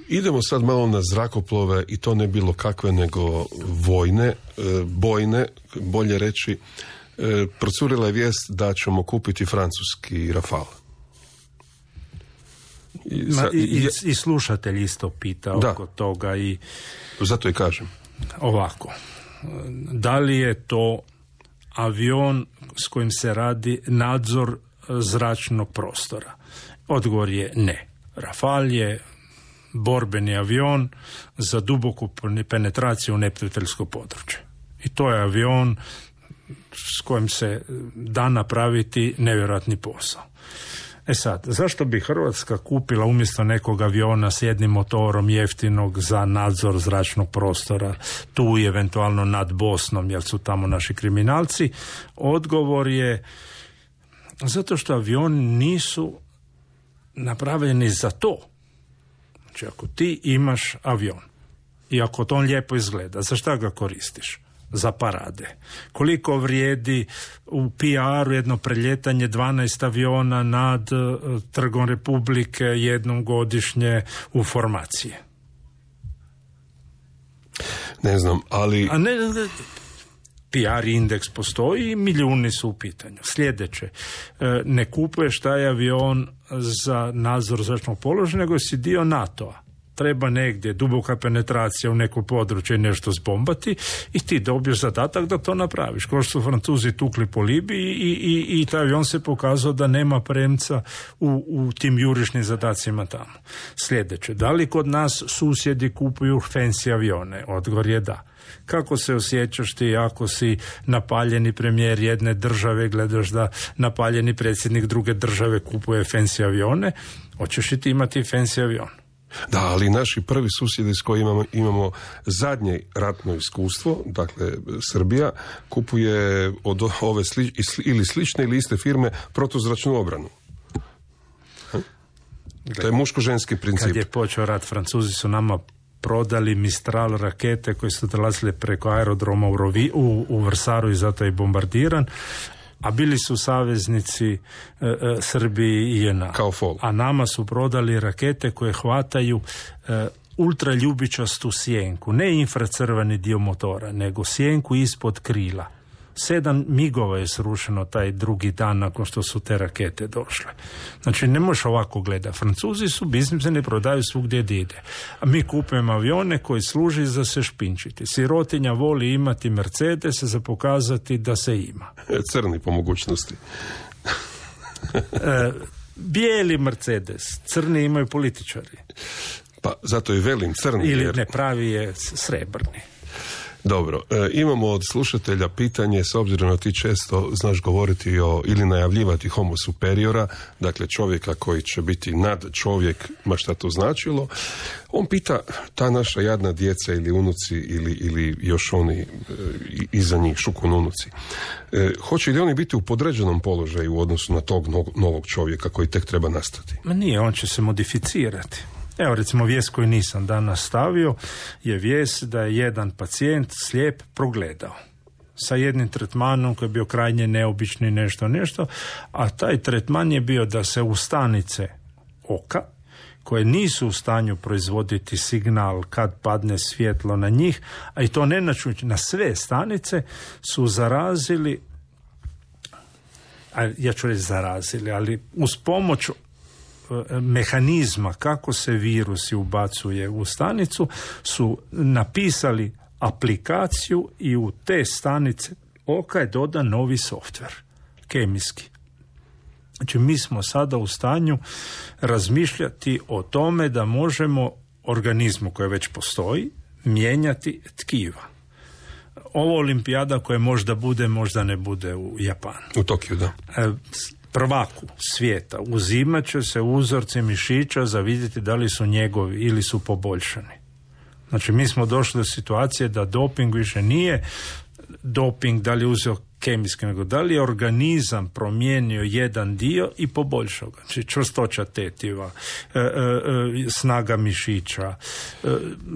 idemo sad malo na zrakoplove i to ne bilo kakve nego vojne, e, bojne, bolje reći. E, procurila je vijest da ćemo kupiti francuski Rafale. I, Ma, i, i, i slušatelj isto pita da. oko toga i zato i kažem. Ovako, da li je to avion s kojim se radi nadzor zračnog prostora? Odgovor je ne. Rafal je borbeni avion za duboku penetraciju u neprijateljsko područje. I to je avion s kojim se da napraviti nevjerojatni posao. E sad, zašto bi Hrvatska kupila umjesto nekog aviona s jednim motorom jeftinog za nadzor zračnog prostora tu i eventualno nad Bosnom, jer su tamo naši kriminalci? Odgovor je zato što avioni nisu napravljeni za to. Znači, ako ti imaš avion i ako to on lijepo izgleda, za šta ga koristiš? Za parade. Koliko vrijedi u P R-u jedno preljetanje dvanaest aviona nad uh, Trgom Republike jednom godišnje u formacije? Ne znam, ali... A ne, ne, P R indeks postoji i milijuni su u pitanju. Sljedeće, ne kupuješ taj avion za nadzor zračnog položaja, nego si dio NATO-a. Treba negdje duboka penetracija u neko područje i nešto zbombati i ti dobiješ zadatak da to napraviš. Kao što su Francuzi tukli po Libiji i, i, i taj avion se pokazao da nema premca u, u tim jurišnim zadacima tamo. Sljedeće, da li kod nas susjedi kupuju fancy avione? Odgovor je da. Kako se osjećaš ti ako si napaljeni premijer jedne države, gledaš da napaljeni predsjednik druge države kupuje fancy avione? Hoćeš i ti imati fancy avion? Da, ali naši prvi susjedi s kojima imamo, imamo zadnje ratno iskustvo, dakle Srbija, kupuje od ove sli, ili slične ili iste firme protuzračnu obranu. Ha? To je muško-ženski princip. Kad je počeo rat, Francuzi su nama prodali Mistral rakete koje su dolazile preko aerodroma u, Rovi, u, u Vrsaru i zato je bombardiran. A bili su saveznici e, e, Srbiji i J N A. Kao fol. A nama su prodali rakete koje hvataju e, ultraljubičastu sjenku. Ne infracrveni dio motora, nego sjenku ispod krila. Sedam migova je srušeno taj drugi dan nakon što su te rakete došle. Znači, ne možeš ovako gledati. Francuzi su biznismeni, prodaju svugdje gdje ide. A mi kupujemo avione koji služi za se špinčiti. Sirotinja voli imati Mercedes za pokazati da se ima. Crni po mogućnosti. e, bijeli Mercedes, crni imaju političari. Pa zato i velim crni. Ili jer... ne, pravi je srebrni. Dobro, e, imamo od slušatelja pitanje, s obzirom da ti često znaš govoriti o, ili najavljivati homo superiora, dakle čovjeka koji će biti nad čovjek, ma šta to značilo. On pita, ta naša jadna djeca ili unuci ili, ili još oni e, iza njih, šukun unuci, e, hoće li oni biti u podređenom položaju u odnosu na tog no, novog čovjeka koji tek treba nastati? Ma nije, on će se modificirati. Evo, recimo, vijest koju nisam danas stavio je vijest da je jedan pacijent slijep progledao sa jednim tretmanom koji je bio krajnje neobični nešto nešto, a taj tretman je bio da se u stanice oka koje nisu u stanju proizvoditi signal kad padne svjetlo na njih, a i to ne načući na sve stanice, su zarazili, a ja ću reći zarazili, ali uz pomoć mehanizma kako se virusi ubacuje u stanicu su napisali aplikaciju i u te stanice oka je dodan novi softver, kemijski. Znači, mi smo sada u stanju razmišljati o tome da možemo organizmu koji već postoji mijenjati tkiva. Ovo olimpijada koja možda bude, možda ne bude u Japanu. U Tokiju, da. E, prvaku svijeta uzimat će se uzorci mišića za vidjeti da li su njegovi ili su poboljšani. Znači, mi smo došli do situacije da doping više nije doping, da li je uzeo kemijski, nego da li je organizam promijenio jedan dio i poboljšao ga. Znači čvrstoća tetiva, e, e, e, snaga mišića, e,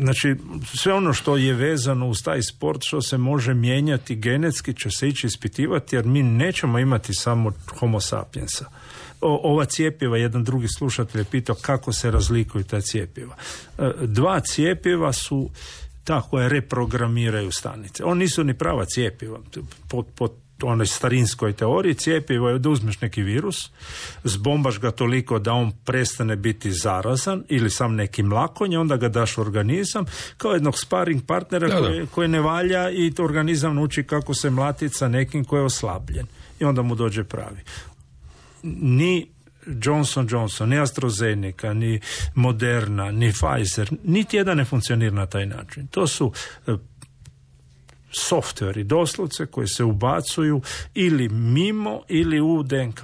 znači sve ono što je vezano uz taj sport što se može mijenjati genetski će se ići ispitivati, jer mi nećemo imati samo homo sapiensa. O, ova cjepiva, jedan drugi slušatelj je pitao kako se razlikuju ta cjepiva. E, dva cjepiva su ta koja reprogramiraju stanice. Oni nisu ni prava cjepiva. Po, po onoj starinskoj teoriji cjepivo je da uzmeš neki virus, zbombaš ga toliko da on prestane biti zarazan ili sam neki mlakonje, onda ga daš u organizam kao jednog sparing partnera da, da. Koji, koji ne valja i organizam nauči kako se mlatiti sa nekim koji je oslabljen. I onda mu dođe pravi. Ni Johnson Johnson, ni AstraZeneca, ni Moderna, ni Pfizer, niti jedan ne funkcionira na taj način. To su uh, softveri, doslovce koji se ubacuju ili mimo ili u D N K.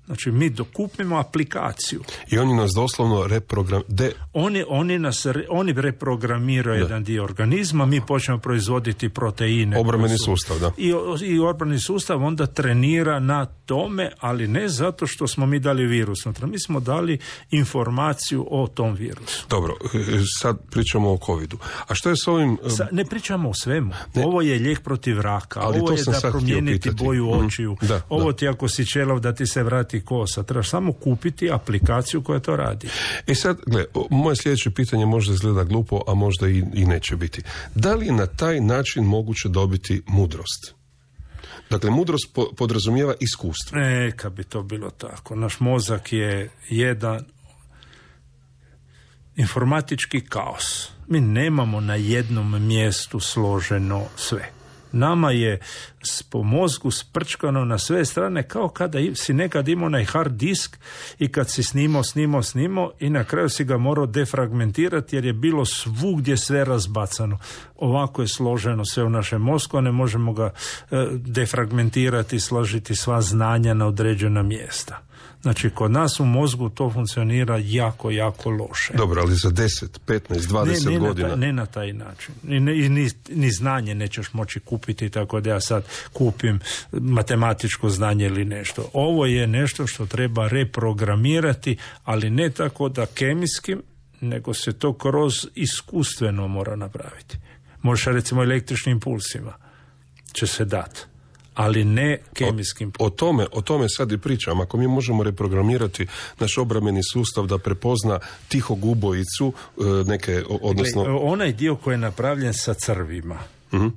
Znači mi dokupimo aplikaciju. I oni nas doslovno reprogram... De... Oni, oni, nas, oni reprogramiraju da. jedan dio organizma, mi počnemo proizvoditi proteine. Obrambeni su, sustav, da. I, i obrambeni sustav onda trenira na tome, ali ne zato što smo mi dali virus. Mi smo dali informaciju o tom virusu. Dobro, sad pričamo o covidu. A što je s ovim... Sa, ne pričamo o svemu. Ne. Ovo je lijek protiv raka. Ali ovo je da promijeniti boju očiju. Mm, da, ovo da. ti ako si čelav da ti se vrati kosa. Trebaš samo kupiti aplikaciju koja to radi. E sad, gle, moje sljedeće pitanje možda izgleda glupo, a možda i, i neće biti. Da li je na taj način moguće dobiti mudrost? Dakle, mudrost po, podrazumijeva iskustvo. E, kad bi to bilo tako. Naš mozak je jedan informatički kaos. Mi nemamo na jednom mjestu složeno sve. Nama je po mozgu sprčkano na sve strane kao kada si nekad imao onaj hard disk i kad si snimao, snimao, snimao i na kraju si ga morao defragmentirati jer je bilo svugdje sve razbacano. Ovako je složeno sve u našem mozgu, a ne možemo ga e, defragmentirati i složiti sva znanja na određena mjesta. Znači, kod nas u mozgu to funkcionira jako, jako loše. Dobro, ali za deset, petnaest, dvadeset ne, ne godina? Na taj, ne na taj način. I, ni, ni, ni znanje nećeš moći kupiti, tako da ja sad kupim matematičko znanje ili nešto. Ovo je nešto što treba reprogramirati, ali ne tako da kemijskim, nego se to kroz iskustveno mora napraviti. Možeš recimo električnim impulsima će se dati, ali ne kemijskim. O, o tome, o tome sad i pričam. Ako mi možemo reprogramirati naš obrambeni sustav da prepozna tihog ubojicu, neke, odnosno... Gle, onaj dio koji je napravljen sa crvima, uh-huh.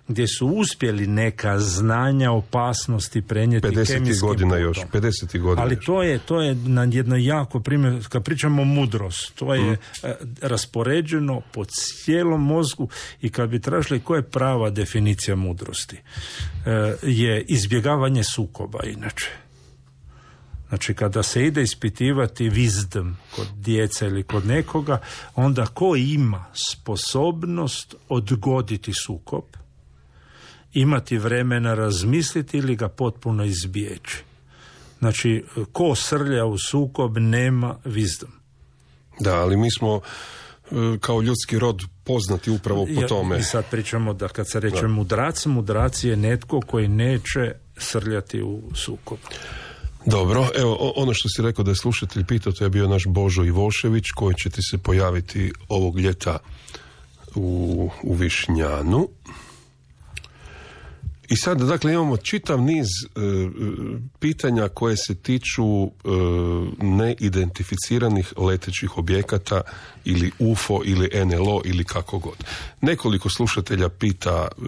gdje su uspjeli neka znanja opasnosti prenijeti kemijskim godina još, pedeset godina ali još. to je, to je na jedno jako primjer, kad pričamo o mudrost, to je uh-huh. raspoređeno po cijelom mozgu i kad bi tražili koja je prava definicija mudrosti, je izbjegavanje sukoba inače. Znači, kada se ide ispitivati wisdom kod djece ili kod nekoga, onda ko ima sposobnost odgoditi sukob, imati vremena razmisliti ili ga potpuno izbjeći. Znači, ko srlja u sukob nema wisdom. Da, ali mi smo kao ljudski rod poznati upravo po tome. I sad pričamo da kad se reče da. mudrac, mudrac je netko koji neće srljati u sukob. Dobro, evo, ono što si rekao da je slušatelj pitao, to je bio naš Božo Ivošević, koji će ti se pojaviti ovog ljeta u, u Višnjanu. I sad, dakle, imamo čitav niz e, pitanja koje se tiču e, neidentificiranih letećih objekata ili U F O ili N L O ili kako god. Nekoliko slušatelja pita e,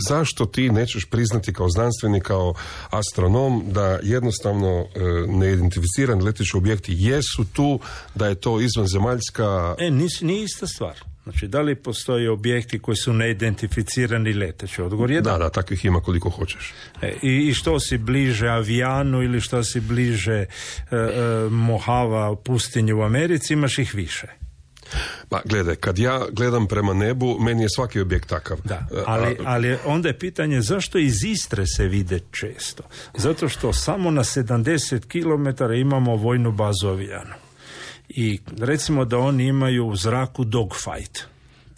zašto ti nećeš priznati kao znanstvenik, kao astronom, da jednostavno e, neidentificirani leteći objekti jesu tu, da je to izvanzemaljska... E, nisi, nije ista stvar. Znači, da li postoje objekti koji su neidentificirani leteći? Odgovor je da. Da, da, takvih ima koliko hoćeš. E, i, I što si bliže avijanu ili što si bliže e, e, Mohava pustinje u Americi, imaš ih više. Pa gledaj, kad ja gledam prema nebu, meni je svaki objekt takav. Da, ali, ali onda je pitanje zašto iz Istre se vide često. Zato što samo na sedamdeset kilometara imamo vojnu bazu avijanu. I recimo da oni imaju u zraku dogfight.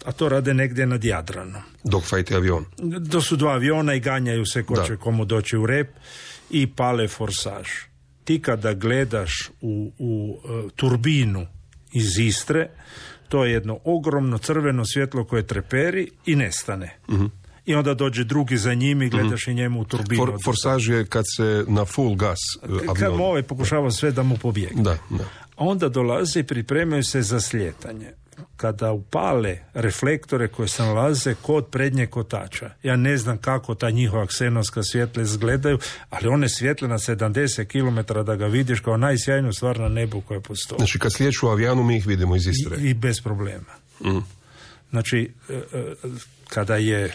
a to rade negdje nad Jadranom. Dogfight je avion. To su dva aviona i ganjaju se ko Da. će komu doći u rep i pale forsaž. Ti kada gledaš u, u uh, turbinu iz Istre, to je jedno ogromno crveno svjetlo koje treperi i nestane. Mhm. I onda dođe drugi za njim i gledaš mm-hmm. i njemu u turbinu. For, forsaž je kad se na full gas avion. Kad mu ovaj pokušava sve da mu pobjegne. Da, da. Onda dolaze i pripremaju se za slijetanje. Kada upale reflektore koje se nalaze kod prednjeg kotača. Ja ne znam kako ta njihova ksenovska svjetla izgledaju, ali one svjetle na sedamdeset kilometara da ga vidiš kao najsjajniju stvar na nebu koja postoji. Znači kad slijeću u avijanu mi ih vidimo iz Istre. I, i bez problema. Mm. Znači, kada je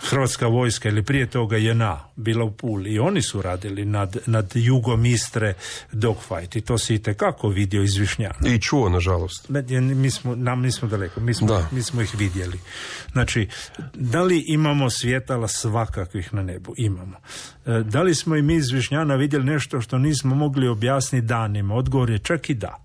Hrvatska vojska ili prije toga J N A bila u Puli i oni su radili nad, nad jugom Istre dogfight i to se itekako vidio iz Višnjana. I čuo, nažalost. Mi smo, nam nismo daleko, mi smo, mi smo ih vidjeli. Znači, da li imamo svjetala svakakvih na nebu? Imamo. Da li smo i mi iz Višnjana vidjeli nešto što nismo mogli objasniti danima? Odgovor je čak i da.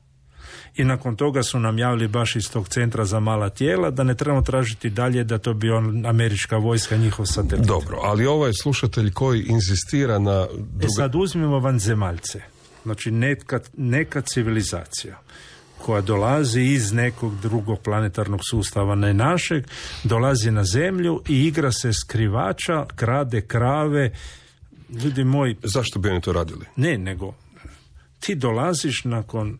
I nakon toga su nam javili baš iz tog centra za mala tijela da ne trebamo tražiti dalje da to bi on američka vojska, njihov satelit. Dobro, ali ovaj slušatelj koji inzistira na... Druga... E sad uzmimo vanzemaljce. Znači neka, neka civilizacija koja dolazi iz nekog drugog planetarnog sustava, ne našeg, dolazi na zemlju i igra se skrivača, krade krave. Ljudi moji... Zašto bi oni to radili? Ne, nego ti dolaziš nakon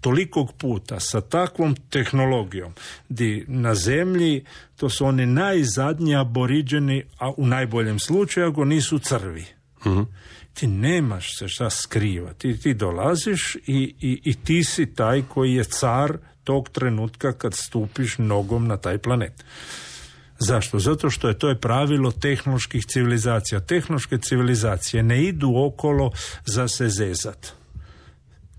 tolikog puta sa takvom tehnologijom di na zemlji to su oni najzadnji aboriđeni, a u najboljem slučaju ako nisu crvi. Mm-hmm. Ti nemaš se šta skrivati. Ti, ti dolaziš i, i, i ti si taj koji je car tog trenutka kad stupiš nogom na taj planet. Zašto? Zato što je to je pravilo tehnoloških civilizacija. Tehnološke civilizacije ne idu okolo za se zezat.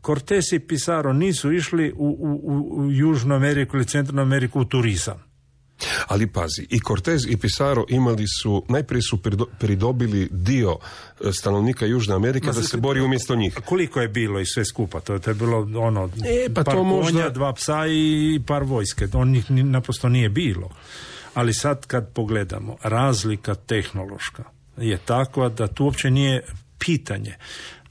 Cortés i Pizarro nisu išli u, u, u Južnu Ameriku ili Centralnu Ameriku u turizam. Ali pazi, i Cortés i Pizarro imali su, najprije su pridobili dio stanovnika Južne Amerike Ma, da se bori umjesto njih. Koliko je bilo i sve skupa? To, to je bilo ono, e, pa par to konja, možda... dva psa i par vojske. On njih naprosto nije bilo. Ali sad kad pogledamo, razlika tehnološka je takva da tu uopće nije pitanje.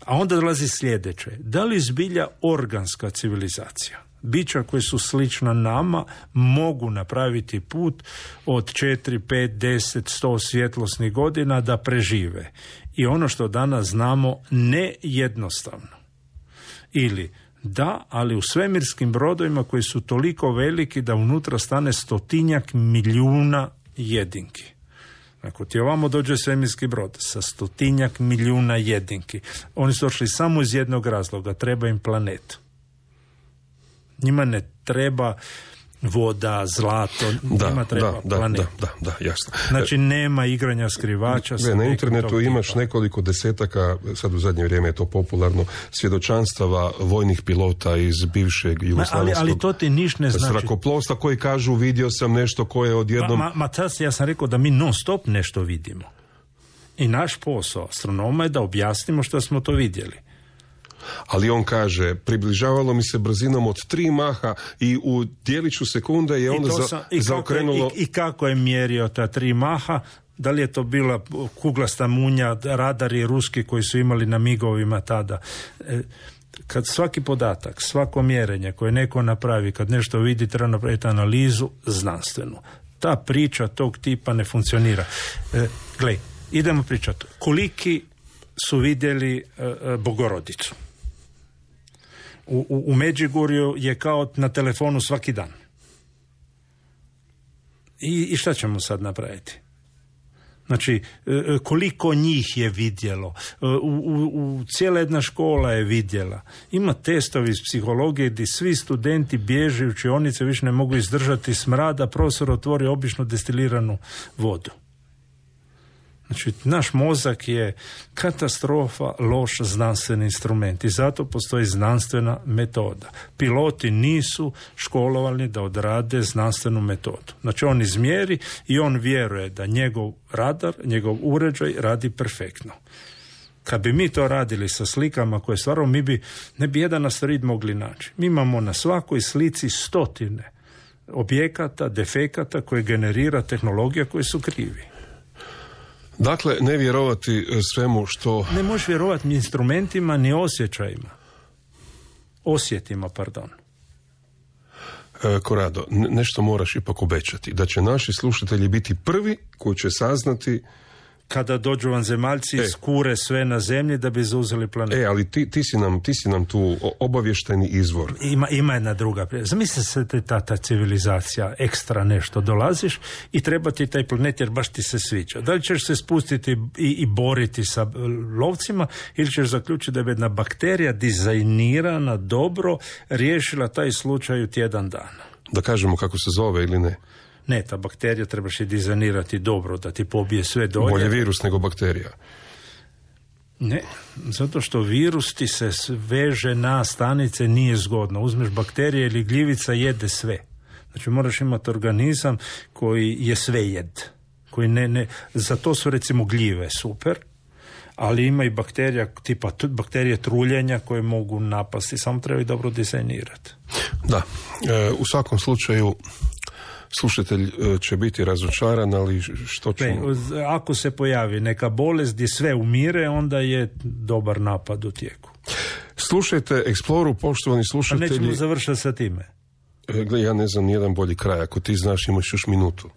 A onda dolazi sljedeće. Da li zbilja organska civilizacija, bića koje su slična nama, mogu napraviti put od četiri, pet, deset, sto svjetlosnih godina da prežive? I ono što danas znamo, ne jednostavno. Ili da, ali u svemirskim brodovima koji su toliko veliki da unutra stane stotinjak milijuna jedinki. Ako ti ovamo dođe svemirski brod sa stotinjak milijuna jedinki, oni su došli samo iz jednog razloga, treba im planet. Njima ne treba voda, zlato, da, njima treba da, planet. Da, da, da, jasno. Znači nema igranja skrivača. Ne, na internetu imaš nekoliko desetaka, sad u zadnje vrijeme je to popularno, svjedočanstava vojnih pilota iz bivšeg jugoslavenskog ali, ali to ti niš ne znači. Zrakoplovstva koji kažu vidio sam nešto koje odjednom... Ma, ma, ma tas, ja sam rekao da mi non stop nešto vidimo. I naš posao astronoma je da objasnimo što smo to vidjeli. Ali on kaže, približavalo mi se brzinom od tri maha i u dijeliću sekunde je onda za, sam, i zaokrenulo... Kako je, i, I kako je mjerio ta tri maha? Da li je to bila kuglasta munja, radari ruski koji su imali na migovima tada? E, kad svaki podatak, svako mjerenje koje neko napravi, kad nešto vidi, treba napraviti analizu znanstvenu. Ta priča tog tipa ne funkcionira. E, gle, idemo pričati. Koliki su vidjeli e, e, Bogorodicu? U, u, u Međugorju je kao na telefonu svaki dan. I, I šta ćemo sad napraviti? Znači, koliko njih je vidjelo? U, u, u cijela jedna škola je vidjela. Ima testovi iz psihologije gdje svi studenti bježe u učionice, više ne mogu izdržati smrada, profesor otvori obično destiliranu vodu. Znači, naš mozak je katastrofa, loš znanstveni instrument i zato postoji znanstvena metoda. Piloti nisu školovani da odrade znanstvenu metodu. Znači, on izmjeri i on vjeruje da njegov radar, njegov uređaj radi perfektno. Kad bi mi to radili sa slikama koje stvarno, mi bi, ne bi jedan asteroid mogli naći. Mi imamo na svakoj slici stotine objekata, defekata koje generira tehnologija koji su krivi. Dakle, ne vjerovati svemu što... Ne možeš vjerovati ni instrumentima, ni osjećajima. Osjetima, pardon. E, Korado, nešto moraš ipak obećati. Da će naši slušatelji biti prvi koji će saznati... Kada dođu vanzemaljci e. skure sve na zemlji da bi zauzeli planet. E, ali ti, ti, si nam, ti si nam tu obavještajni izvor. Ima, ima jedna druga. Zamisli se te, ta, ta civilizacija, ekstra nešto, dolaziš i treba ti taj planet jer baš ti se sviđa. Da li ćeš se spustiti i, i boriti sa lovcima ili ćeš zaključiti da je jedna bakterija dizajnirana dobro, riješila taj slučaj u tjedan dana. Da kažemo kako se zove ili ne? Ne, ta bakterija trebaš je dizajnirati dobro, da ti pobije sve dolje. Bolje virus nego bakterija. Ne, zato što virus ti se veže na stanice, nije zgodno. Uzmeš bakterije ili gljivica, jede sve. Znači moraš imati organizam koji je sve jed. Koji ne, ne, za to su recimo gljive super, ali ima i bakterija tipa bakterije truljenja koje mogu napasti, samo treba i dobro dizajnirati. Da, e, u svakom slučaju slušatelj će biti razočaran, ali što ću... Ako se pojavi neka bolest gdje sve umire, onda je dobar napad u tijeku. Slušajte Exploru, poštovani slušatelji... A nećemo završati sa time. Gle, ja ne znam nijedan bolji kraj. Ako ti znaš, imaš još minutu.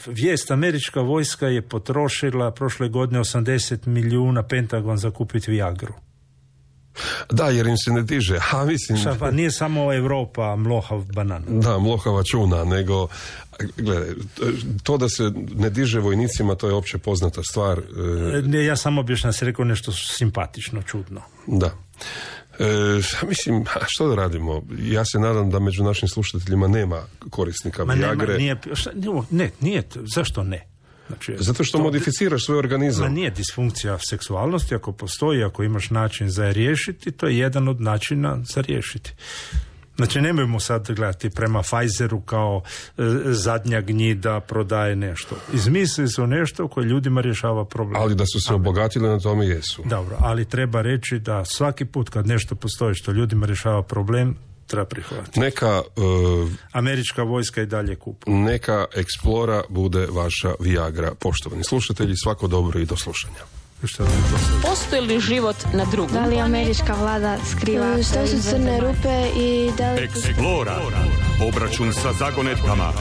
Vijest, američka vojska je potrošila prošle godine osamdeset milijuna Pentagon za kupiti Viagru. Da, jer im se ne diže. Ha, mislim... Šta, pa nije samo Europa mlohav banan. Da, mlohava čuna, nego... Gledaj, to da se ne diže vojnicima, to je opće poznata stvar. Ne, ja samo objašnjam, se rekao nešto simpatično, čudno. Da. E, mislim, što da radimo? Ja se nadam da među našim slušateljima nema korisnika Ma Viagre. Nema, nije, šta, ne, nije, zašto ne? Znači, zato što to, modificiraš svoj organizam. Ma nije disfunkcija seksualnosti, ako postoji, ako imaš način za riješiti, to je jedan od načina za riješiti. Znači, nemojmo sad gledati prema Pfizeru kao e, zadnja gnjida prodaje nešto. Izmislili su nešto koje ljudima rješava problem. Ali da su se obogatili, na tome jesu. Dobro, ali treba reći da svaki put kad nešto postoji što ljudima rješava problem, treba prihvatiti. Neka uh, američka vojska i dalje kupuje. Neka Explora bude vaša Viagra. Poštovani slušatelji, svako dobro i do slušanja. Postoji li život na drugom? Da li američka vlada skriva što su crne rupe i da li... Explora. Obračun sa zagonetkama.